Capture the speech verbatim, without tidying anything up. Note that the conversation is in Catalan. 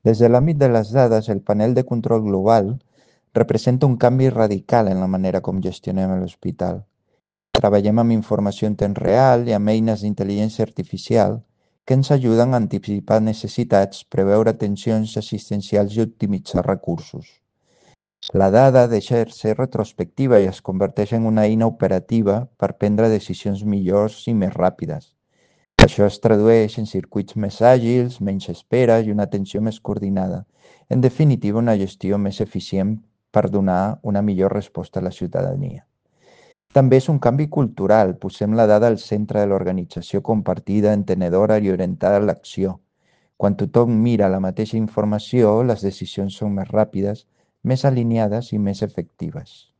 Des de l'àmbit de les dades, el panel de control global representa un canvi radical en la manera com gestionem l'hospital. Treballem amb informació en temps real i amb eines d'intel·ligència artificial que ens ajuden a anticipar necessitats, preveure tensions assistencials i optimitzar recursos. La dada deixa de ser retrospectiva i es converteix en una eina operativa per prendre decisions millors i més ràpides. Això es tradueix en circuits més àgils, menys esperes i una atenció més coordinada. En definitiva, una gestió més eficient per donar una millor resposta a la ciutadania. També és un canvi cultural. Posem la dada al centre de l'organització compartida, entenedora i orientada a l'acció. Quan tothom mira la mateixa informació, les decisions són més ràpides, més alineades i més efectives.